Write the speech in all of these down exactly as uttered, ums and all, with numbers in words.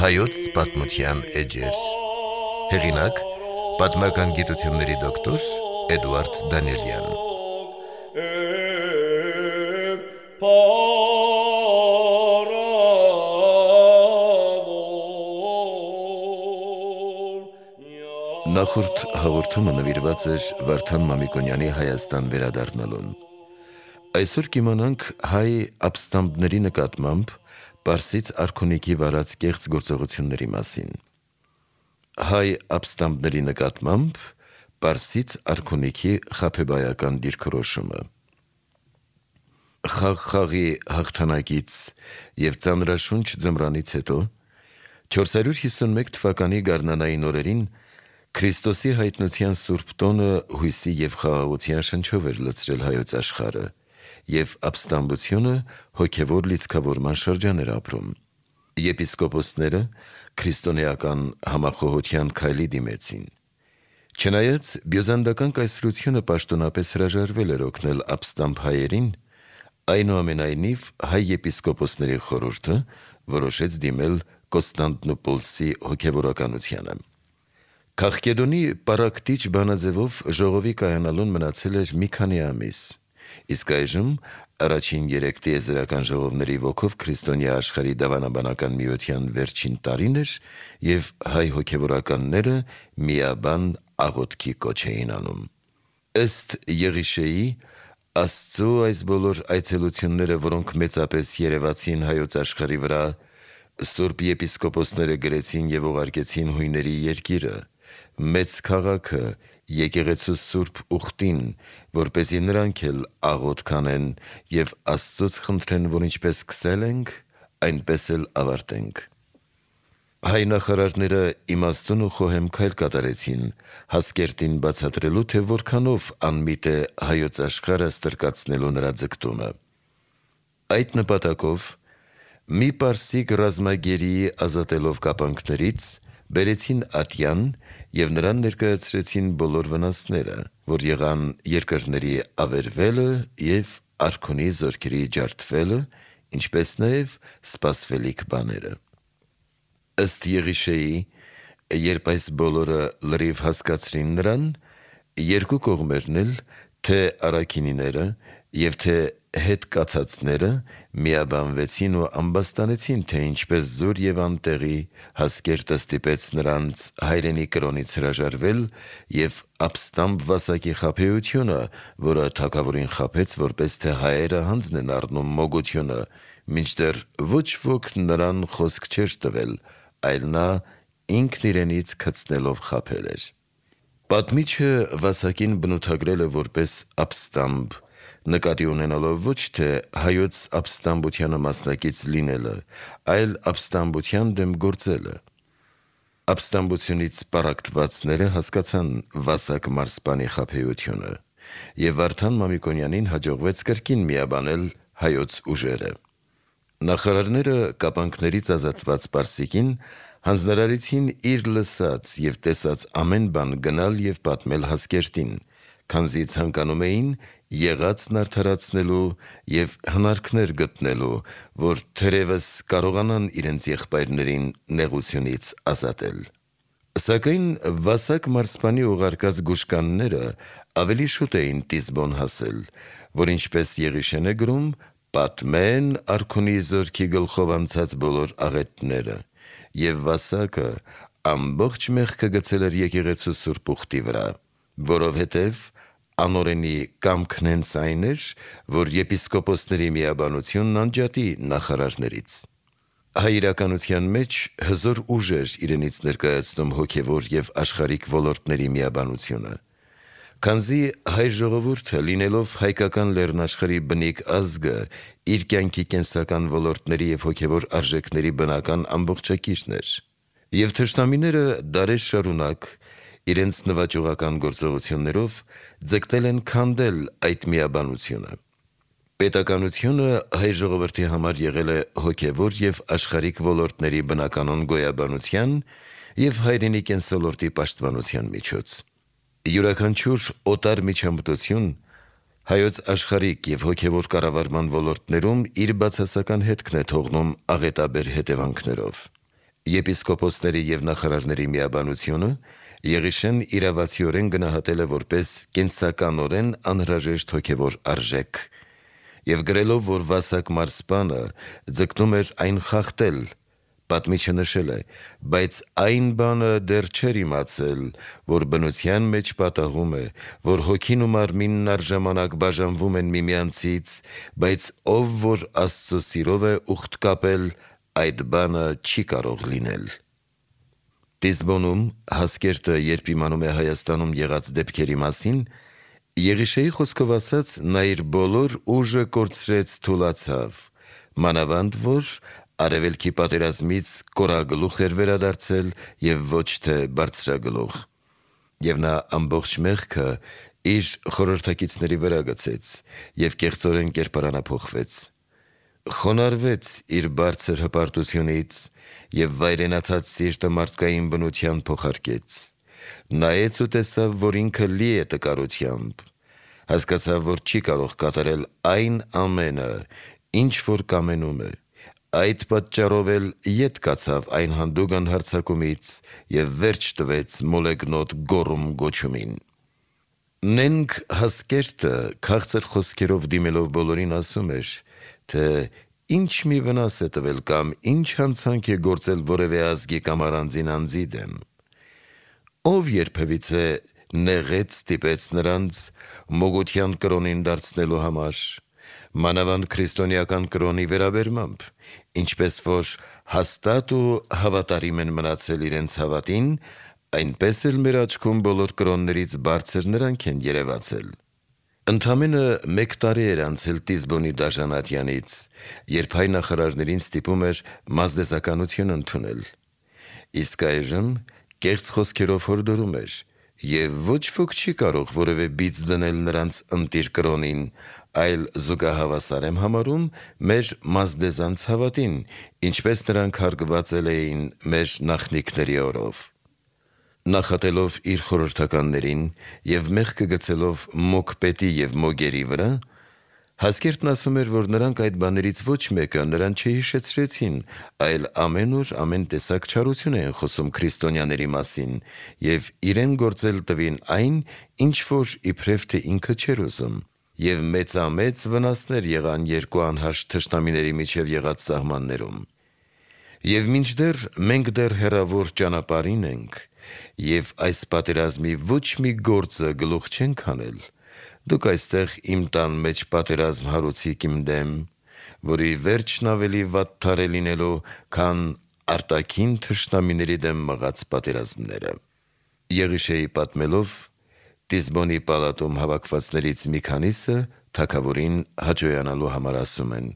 Հայոց պատմության էջեր։ Հեղինակ՝ պատմական գիտությունների դոկտոր Էդուարդ Դանիելյան։ Նախորդ հաղորդումը նվիրված էր Վարդան Մամիկոնյանի Հայաստան վերադառնալուն։ Այսօր կիմանանք հայ ապստամբների նկատմամբ Պարսից արքունիքի վարած կեղծ գործողությունների մասին։ Հայ ապստամբների նկատմամբ Պարսից արքունիքի խաբեբայական դիրքորոշումը։ Խաղ-խաղի հաղթանակից և ծանրաշունչ ձմռանից հետո չորս հարյուր հիսունմեկ թվականի գարնանային օրերին Քրիստոսի հայտնության սուրբ տոնը հույսի և խաղաղության շնչով էր լցրել հայոց աշխարհը, և ապստամբությունը հոգևոր լիցքավորման շրջան էր ապրում։ Եպիսկոպոսները քրիստոնեական համախոհության քայլի դիմեցին։ Չնայած բյուզանդական կայսրությունը պաշտոնապես հրաժարվել էր օգնել ապստամբ հայերին, այնուամենայնիվ հայ եպիսկոպոսների խորհուրդը որոշեց դիմել Կոստանդնուպոլսի հոգևորականությանը։ Քաղկեդոնի պառակտիչ բանաձևով ժողովի կայանալուն մնացել էր մի քանի ամիս, իսկ այժմ առաջին երեք տիեզերական ժողովների ոգով քրիստոնյա աշխարհի դավանաբանական միության վերջին տարին էր, և հայ հոգևորականները միաբան աղոթքի կոչ էին անում։ Ըստ Եղիշեի, Աստծու այս բոլոր այցելությունները, որոնք մեծապես երևացին հայոց աշխարհի վրա, սուրբ եպիսկոպոսները գրեցին և ուղարկեցին հույների երկիրը, մեծ քաղաքը, եկեղեցու սուրբ ուխտին, որպեսզի նրանք էլ աղոթք անեն և Աստծուց խնդրեն, որ ինչպես սկսել ենք, այնպես էլ ավարտենք։ Հայ նախարարները իմաստուն ու խոհեմ քայլ կատարեցին Հասկերտին բացատրելու, թե որքանով անմիտ է հայոց աշխարհը ստրկացնելու նրա ձգտումը։ Այդ նպատակով մի պարսիկ ռազմագերիի ազատելով կապանքներից բերեցին ատյան և նրան ներկայացրեցին բոլոր վնասները, որ եղան երկրների ավերվելը և արքունի զորքերի ջարդվելը, ինչպես նաև սպասվելիք բաները։ Ըստ Եղիշեի, երբ այս բոլորը լրիվ հասկացրին նրան, երկու կողմերն էլ, թե առաքինիները և թե հետկացածները, միաբանվեցին ու ամբաստանեցին, թե ինչպես զուր և անտեղի Հասկերտը ստիպեց նրանց հայրենի կրոնից հրաժարվել և ապստամբ վասակի խաբեությունը, որը թագավորին խաբեց, որպես թե հայերը հանձն են առնում մոգությունը, մինչդեռ ոչ ոք նրան խոսք չէր տվել, այլ նա ինքն իրենից քցնելով խաբել էր։ Պատմիչը վասակին բնութագրել է որպես ապստամբ, նկատի ունենալով ոչ թե հայոց ապստամբությանը մասնակից լինելը, այլ ապստամբության դեմ գործելը։ Ապստամբությունից պառակտվածները հասկացան վասակ մարզպանի խաբեությունը, և Վարդան Մամիկոնյանին հաջողվեց կրկին միաբանել հայոց ուժերը։ Նախարարները կապանքներից ազատված պարսիկին հանձնարարեցին իր լսած և տեսած ամեն բան գնալ և պատմել Հասկերտին, քանզի ցանկանում էին եղածն արդարացնելու և հնարքներ գտնելու, որ թերևս կարողանան իրենց եղբայրներին նեղությունից ազատել։ Սակայն վասակ մարզպանի ուղարկած գուշկանները ավելի շուտ էին Տիզբոն հասել, որ ինչպես Եղիշեն է գրում, պատմեն արքունի զորքի գլխով անցած բոլոր աղետները, և վասակը ամբողջ մեղքը գցել էր եկեղեցու սուրբ ուխտի վրա, որովհետև անօրենի կամքն հենց այն էր, որ եպիսկոպոսների միաբանությունն անջատի նախարարներից։ Հայ իրականության մեջ հզոր ուժ էր իրենից ներկայացնում հոգևոր և աշխարհիկ ոլորտների միաբանությունը, քանզի հայ ժողովուրդը, լինելով հայկական լեռնաշխարհի բնիկ ազգը, իր կյանքի կենսական ոլորտների և հոգևոր արժեքների բնական ամբողջակիրն էր, և թշնամիները դարեր շարունակ իրենց նվաճողական գործողություններով ձգտել են քանդել այդ միաբանությունը։ Պետականությունը հայ ժողովրդի համար եղել է հոգևոր և աշխարհիկ ոլորտների բնականոն գոյաբանության և հայրենի կենսոլորտի պաշտպանության միջոց։ Յուրաքանչյուր օտար միջամտություն հայոց աշխարհիկ եւ հոգեվոր կառավարման ոլորտներում իր բացասական հետքն է թողնում աղետաբեր հետևանքներով։ Եպիսկոպոսների եւ նախարարների միաբանությունը Եղիշեն իրավացիորեն գնահատել է որպես կենսականորեն անհրաժեշտ հոգեվոր արժեք եւ գրելով, որ վասակ մարսպանը ձգտում էր այն խախտել, պատմիչը նշել է, բայց այն բանը դեռ չէր իմացել, որ բնության մեջ պատահում է, որ հոգին ու մարմինն առժամանակ բաժանվում են միմյանցից, բայց ով որ Աստծո սիրով է ուխտ կապել, այդ բանը չի կարող լինել։ Տիզբոնում Հասկերտը, երբ իմանում է Հայաստանում եղած դեպքերի մասին, Եղիշեի խոսքով ասած, նա իր բոլոր ուժը կորցրեց, թուլացավ, մանավանդ որ Արևելքի պատերազմից կորագլուխ էր վերադարձել եւ ոչ թե բարձրագլուխ, եւ նա ամբողջ մեղքը իր խորհրդակիցների վրա գցեց եւ կեղծորեն կերպարանափոխվեց, խոնարհվեց իր բարձր հպարտությունից եւ վայրենացած սիրտը մարդկային բնության փոխարկեց, նայեց ու տեսավ, որ ինքը լի է տկարությամբ, հասկացավ, որ չի կարող կատարել այն ամենը, ինչ որ կամենում է, այդ պատճառով էլ ետ կացավ այն հանդուգն հարձակումից եւ վերջ տվեց մոլեգնոտ գոռում գոչումին։ Նենք Հասկերտը քաղցր խոսքերով դիմելով բոլորին ասում էր, թե ինչ մի վնաս է տվել կամ ինչ հանցանք է գործել որևէ ազգի կամ առանձին անձի դեմ։ Ով երբևիցե նեղեց ստիպեց նրանց մոգության կրոնին դարձնելու համար, մանավանդ քրիստոնեական կրոնի վերաբերմամբ, ինչպես որ հաստատ ու հավատարիմ են մնացել իրենց հավատին, այնպես էլ մեր աչքում բոլոր կրոններից բարձր նրանք են երևացել։ Ընդամենը մեկ տարի էր անցել Տիզբոնի դաժանատյանից, երբ հայ նախարարներին ստիպում էր մազդեզականություն ընդունել, իսկ այժմ կեղծ խոսքերով հորդորում էր, եւ ոչ ոք չի կարող որևէ բիծ դնել նրանց ընտիր կրոնին, այլ զուգահավասար եմ համարում մեր մազդեզանց հավատին, ինչպես նրանք հարգվածել էին մեր նախնիքների օրով։ Նախատելով իր խորհրդականներին եւ մեղքը գցելով մոգ պետի եւ մոգերի վրա, Հասկերտն ասում էր, որ նրանք այդ բաներից ոչ մեկը նրան չհիշեցրեցին, այլ ամեն օր ամեն տեսակ չարություն են խոսում քրիստոնյաների մասին եւ իրեն գործել տվին այն, ինչ որ իբրև թե ինքը չէր ուզում, եւ մեծամեծ վնասներ եղան երկու անհաշտ թշնամիների միջև եղած սահմաններում։ Եվ մինչդեռ մենք դեռ հեռավոր ճանապարհին ենք, եւ այս պատերազմի ոչ մի գործը գլուխ չենք հանել, դուք այստեղ իմ տան մեջ պատերազմ հարուցիք իմ դեմ, որի վերջն ավելի վատթար է լինելու, քան արտաքին թշնամիների դեմ մղած պատերազմները։ Եղիշեի պատմելով, Տիզբոնի պալատում հավաքվածներից մի քանիսը թագավորին հաջողանալու համար ասում են.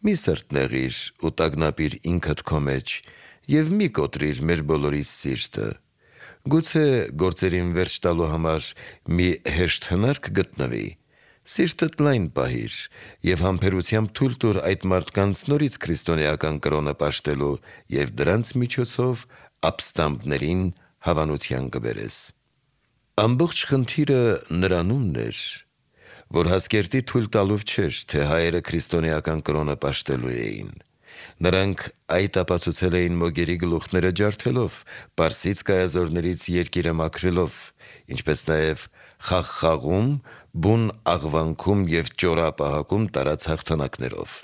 «Մի սրտնեղիր ու տագնապիր ինքդ քո մեջ եւ մի կոտրիր մեր բոլորիս սիրտը։ Գուցե գործերին վերջ տալու համար մի հեշտ հնարք գտնվի, սիրտդ լայն պահիր եւ համբերությամբ թույլ տուր այդ մարդկանց նորից քրիստոնեական կրոնը պաշտելու եւ դրանց միջոցով ապստամբներին հավանության կբերես»։ Ամբողջ խնդիրը նրանումն էր, որ Հասկերտի թույլ տալով չէր, թե հայերը քրիստոնեական կրոնը պաշտելու էին։ Նրանք այդ ապացուցել էին մոգերի գլուխները ջարդելով, Պարսից կայազորներից երկիրը մաքրելով, ինչպես նաև խաղխաղում, բուն աղվանքում և ճորապահակում տարած հաղթանակներով։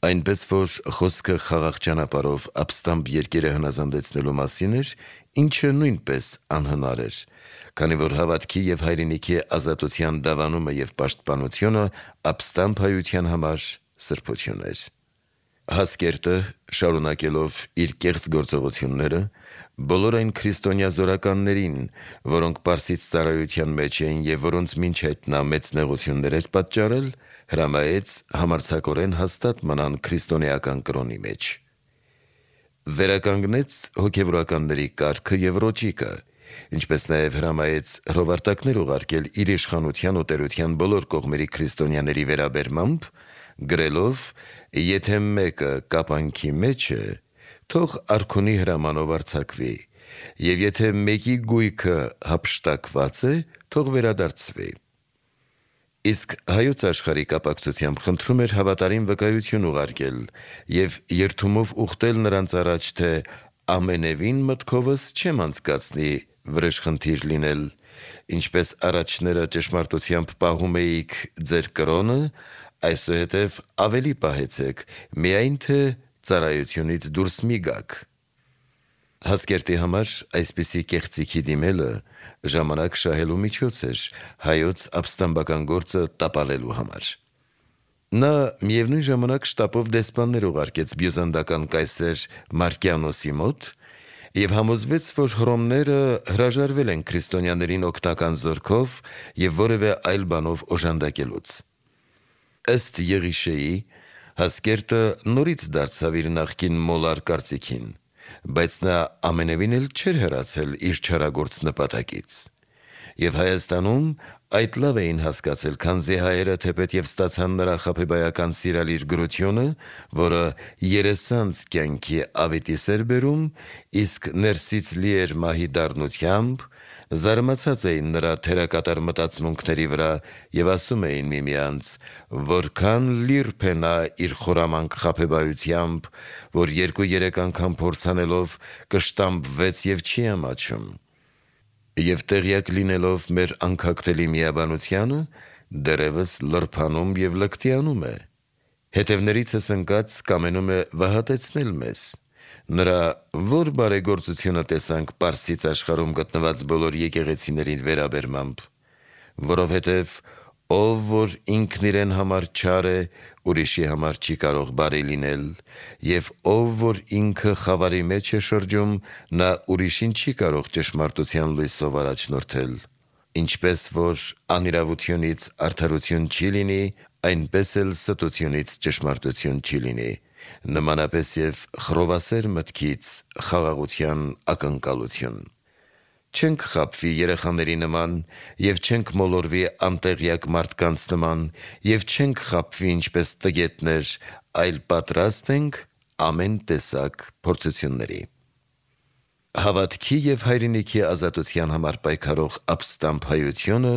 Այնպես որ խոսքը խաղաղ ճանապարհով ապստամբ երկիրը հնազանդեցնելու մասին էր, ինչը նույնպես անհնար էր, քանի որ հավատքի և հայրենիքի ազատության դավանումը և պաշտպանությունը ապստամբ հայության համար սրբություն էր։ Հասկերտը, շարունակելով իր կեղծ գործողությունները, բոլոր այն քրիստոնյա զորականներին, որոնք Պարսից ծառայության մեջ էին և որոնց մինչ այդ նա մեծ նեղություններ էր պատճառել, հրամայեց համարձակորեն հաստատ մնան քրիստոնեական կրոնի մեջ։ Վերականգնեց հոգևորականների կարգը և ռոճիկը, ինչպես նաև հրամայեց հրովարտակներ ուղարկել իր իշխանության ու տերության բոլոր կողմերի քրիստոնյաների վերաբերմամբ, գրելով. «Եթե մեկը կապանքի մեջ է, թող արքունի հրամանով արձակվի, եւ եթե մեկի գույքը հափշտակված է, թող վերադարձվի։ Իսկ հայոց աշխարհի կապակցությամբ խնդրում էր հավատարիմ վկայություն ուղարկել եւ երթումով ուխտել նրանց առաջ, թե ամենևին մտքովս չեմ անցկացնի վրեժխնդիր լինել, ինչպես առաջները ճշմարտությամբ պահում էիք ձեր կրոնը, այսուհետև ավելի պահեցեք, միայն թե ծառայությունից դուրս մի գաք։ Հասկերտի համար այսպիսի կեղծիքի դիմելը ժամանակ շահելու միջոց էր հայոց ապստամբական գործը տապալելու համար։ Նա միևնույն ժամանակ շտապով դեսպաններ ուղարկեց բյուզանդական կայսեր Մարկիանոսի մոտ եւ համոզվեց, որ հռոմները հրաժարվել են քրիստոնյաներին օգնական զորքով եւ որևէ այլ բանով օժանդակելուց։ Ըստ Եղիշեի, Հասկերտը նորից դարձավ իր նախկին մոլար կարծիքին, բայց նա ամենևին էլ չէր հեռացել իր չարագործ նպատակից։ Եվ Հայաստանում այդ լավ էին հասկացել, քանզի հայերը թեպետև ստացան նրա խաբեբայական սիրալիր գրությունը, որը երեսանց կյանքի ավետիս էր բերում, իսկ ներսից լի էր մահի դառնությամբ, զարմացած էին նրա թերակատար մտածմունքների վրա եւ ասում էին միմյանց, որքան լիրբ է նա իր խորամանկ խաբեբայությամբ, որ երկու-երեք անգամ փորձանելով կշտամբվեց եւ չի ամաչում։ Եվ տեղյակ լինելով մեր անքակտելի միաբանությանը, դեռևս լրփանում եւ լկտիանում է։ Հետևներիցս ընկած կամենում է վհատեցնել մեզ։ Նրա որ բարեգործությունը տեսանք Պարսից աշխարհում գտնված բոլոր եկեղեցիների վերաբերմամբ, որովհետև ով որ ինքն իրեն համար չար է, ուրիշի համար չի կարող բարի լինել, եւ ով որ ինքը խավարի մեջ է շրջում, նա ուրիշին չի կարող ճշմարտության լույսով առաջնորդել։ Ինչպես որ անիրավությունից արդարություն չի լինի, այնպես էլ ստությունից ճշմարտություն չի լինի, նմանապես եւ խռովասեր մտքից խաղաղության ակնկալություն։ Չենք խաբվի երեխաների նման եւ չենք մոլորվի անտեղյակ մարդկանց նման եւ չենք խաբվի ինչպես տգետներ, այլ պատրաստ ենք ամեն տեսակ փորձությունների։ Հավատքի եւ հայրենիքի ազատության համար պայքարող ապստամբ հայությունը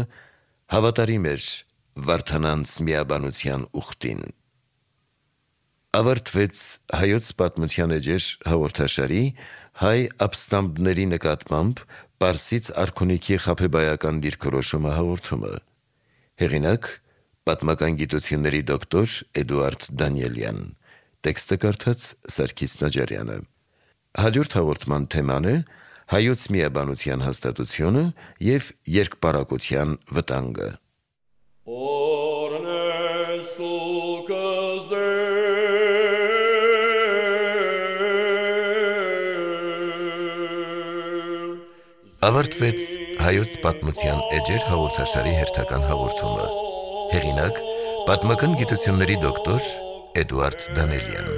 հավատարիմ էր Վարդանանց միաբանության ուխտին։ Ավարտվեց հայոց պատմության էջեր հաղորդաշարի հայ ապստամբների նկատմամբ Պարսից արքունիքի խաբեբայական դիրքորոշումը հաղորդումը։ Հեղինակ՝ պատմական գիտությունների դոկտոր Էդուարդ Դանիելյան։ Տեքստը կարդաց Սարգիս Նաջարյանը։ Հաջորդ հաղորդման թեման է հայոց միաբանության հաստատությունը եւ երկպարակության վտանգը։ Ավարտվեց հայոց պատմության էջեր հաղորդաշարի հերթական հաղորդումը։ Հեղինակ՝ պատմական գիտությունների դոկտոր Էդուարդ Դանիելյան։